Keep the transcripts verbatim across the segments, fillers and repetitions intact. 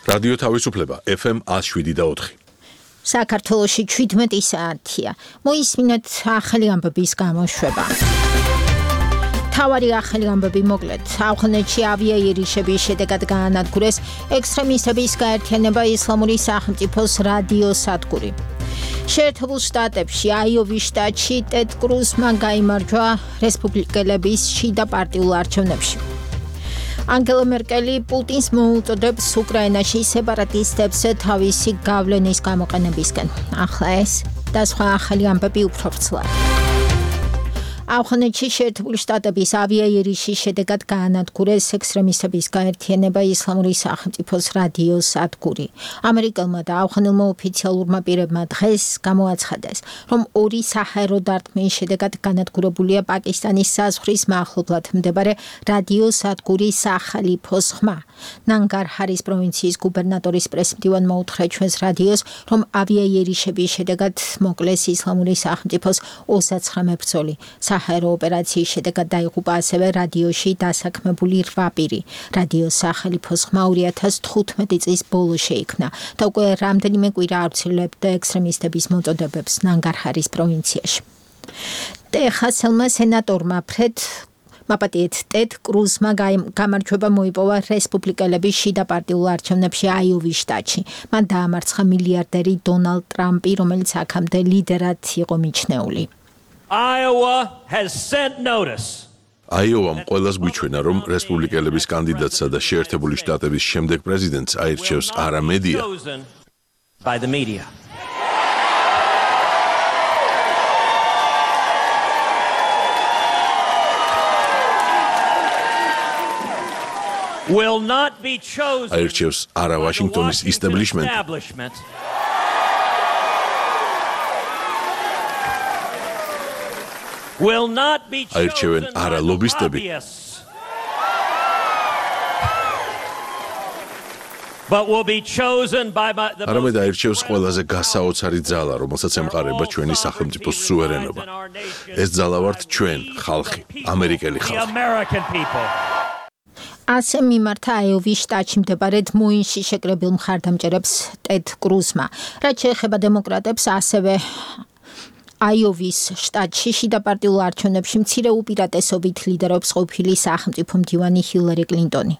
რადიო თავისუფლება ეფ ემ ათს შვიდი და ოთხი. საქართველოში ჩვიდმეტი საათია. მოისმინეთ ახალი ამბების გამოშვება. თავარი ახალი ამბები მოკლედ. ავღანეთში ავიაიერიშების შედეგად გაანადგურეს ექსტრემისტების გაერთიანება ისლამური სახელმწიფოს რადიოსადგური. შეერთებულ შტატებში აიოვის შტატში ტედ კრუზმა გაიმარჯვა რესპუბლიკელების შიდა პარტიულ არჩევნებში. ანგელა მერკელი პუტინს მოუწოდებს უკრაინაში სეპარატისტებს თავისი გავლენის გამოყენებისკენ. ახლა ეს და სხვა ახალი ამბები უფრო ვრცლად. ავღანეთში შეერთებული შტატების ავიაიერიშის შედეგად გაანადგურეს ექსტრემისტების გაერთიანება ისლამური სახელმწიფოს რადიოსადგური. ამერიკელმა და ავღანელმა ოფიციალურმა პირებმა დღეს გამოაცხადეს, რომ ორი საჰაერო დარტყმის შედეგად განადგურებულია პაკისტანის საზღვრის მახლობლად მდებარე რადიოსადგურის სახალიფოს ხმა. ნანგარჰარის პროვინციის გუბერნატორის პრესმდივანმა უთხრა ჩვენს რადიოს, რომ ავიაიერიშების შედეგად მოკლეს ისლამური სახელმწიფოს ოცდათვრამეტი მებრძოლი. საჰაერო ოპერაციის შედეგად დაიღუპა ასევე რადიოში დასაქმებული რვა პირი. რადიოს სახალიფოს ხმა ორი ათას თხუთმეტი წლის ბოლოს შეიქმნა და უკვე რამდენიმე კვირა ავრცელებდა ექსტრემისტების მოწოდებებს ნანგარჰარის პროვინციაში. ტეხასელმა სენატორმა ფრედ მაპატიეთ ტედ კრუზმა გამარჯვება მოიპოვა რესპუბლიკელების შიდა პარტიულ არჩევნებში აიოვის შტატში. მან დაამარცხა მილიარდერი დონალდ ტრამპი, რომელიც აქამდე ლიდერად იყო მიჩნეული. Iowa has sent notice. აიოვამ ყველას გვიჩვენა, რომ რესპუბლიკელების კანდიდატსა და შეერთებული შტატების შემდეგ პრეზიდენტს აირჩევს არა მედია, by the media. Will not be chosen. აირჩევს არა ვაშინგტონის establishment. Will not be აირჩევენ არა ლობისტები, but will be chosen by the არამედ აირჩევს ყველაზე გასაოცარი ძალა, რომელსაც ემყარება ჩვენი სახელმწიფოს სუვერენობა. ეს ძალა ვართ ჩვენ, ხალხი, ამერიკელი ხალხი. ასე მიმართა აიოვის შტატში მდებარე დმოინსში შეკრებილ მხარდამჭერებს ტედ კრუზმა. რაც შეეხება დემოკრატებს, ასევე აიოვის შტატში შიდა პარტიულ არჩევნებში მცირე უპირატესობით ლიდერობს ყოფილი სახელმწიფო მდივანი ჰილარი კლინტონი.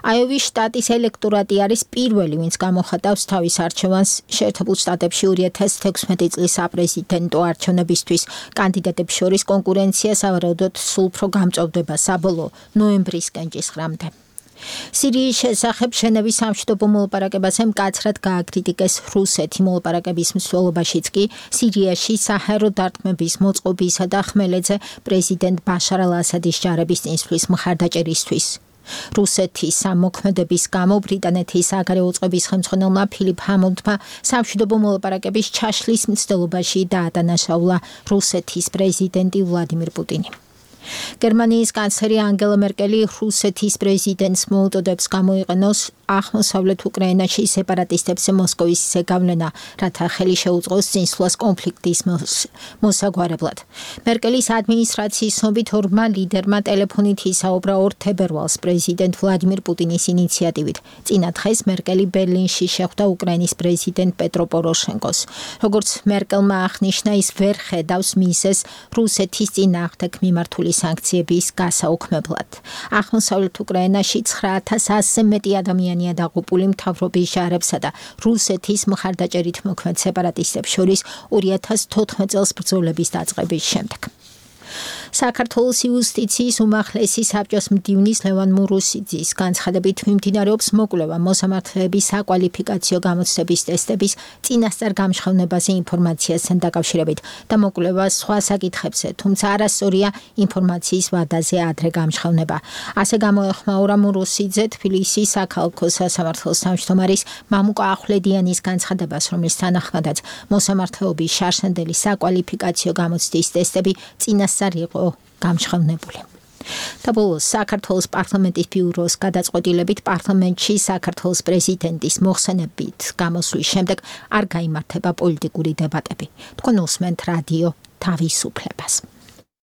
აიოვის შტატის ელექტორატი არის პირველი, ვინც გამოხატავს თავის არჩევანს შეერთებულ შტატებში ორი ათას თექვსმეტი წლის საპრეზიდენტო არჩევნებისთვის. კანდიდატებს შორის კონკურენცია სავარაუდოდ სულ უფრო გამწვავდება საბოლოო ნოემბრის კენჭისყრამდე. სირიის შესახებ ჟენევის სამშვიდობო მოლაპარაკებაზე მკაცრად გააკრიტიკეს რუსეთი. მოლაპარაკების მსვლელობაშიც კი სირიაში საჰაერო დარტყმების მოწყობისა და ხმელეთზე პრეზიდენტ ბაშარ ალ-ასადის ჯარების წინსვლის მხარდაჭერისთვის. რუსეთის მოქმედების გამო ბრიტანეთის საგარეო წყობის ხელმძღვანელმა ფილიპ ჰამონდმა სამშვიდობო მოლაპარაკების ჩაშლის მცდელობაში დაადანაშაულა რუსეთის პრეზიდენტი ვლადიმირ პუტინი. გერმანიის კანცლერი ანგელა მერკელი რუსეთის პრეზიდენტს მოუწოდებს გამოიყენოს აღმოსავლეთ უკრაინაში სეპარატისტებს მოსკოვის ზეგავლენა, რათა ხელი შეუწყოს წინსვლას კონფლიქტის მოსაგვარებლად. მერკელის ადმინისტრაციის ცნობით ორმა ლიდერმა ტელეფონით ისაუბრა ორ თებერვალს პრეზიდენტ ვლადიმირ პუტინის ინიციატივით. წინა დღეს მერკელი ბერლინში შეხვდა უკრაინის პრეზიდენტ პეტრო პოროშენკოს. როგორც მერკელმა აღნიშნა, ის ვერ ხედავს მიზეზს რუსეთის წინააღმდეგ მიმართული სანქციების გასაუქმებლად. აღმოსავლეთ უკრაინაში ცხრა ათას ასზე მეტი ადამიანია დაღუპული მთავრობის ჯარებსა და რუსეთის მხარდაჭერით მოქმედ სეპარატისტებს შორის ორი ათას თოთხმეტ წელს ბრძოლების დაწყების შემდეგ. საქართველოს იუსტიციის უმაღლესი საბჭოს მდივნის ლევან მურუსიძის განცხადებით მიმდინარეობს მოკვლევა მოსამართლეების საკვალიფიკაციო გამოცდების ტესტების წინასწარ გამჟღავნებაზე ინფორმაციასთან დაკავშირებით და მოკვლევა სხვა საკითხებზე, თუმცა არასწორია ინფორმაციის ვადაზე ადრე გამჟღავნება. ასე გამოეხმაურა მურუსიძე თბილისის საქალაქო სასამართლოს თავმჯდომარის მამუკა ახვლედიანის განცხადებას, რომლის თანახმადაც მოსამართლეობის შარშანდელი საკვალიფიკაციო გამოცდის ტესტები წინასწარ იყო გამჟღავნებული. და ბოლოს საქართველოს პარლამენტის ბიუროს გადაწყვეტილებით პარლამენტში საქართველოს პრეზიდენტის მოხსენებით გამოსვლის შემდეგ არ გაიმართება პოლიტიკური დებატები. თქვენ უსმენთ რადიო თავისუფლებას.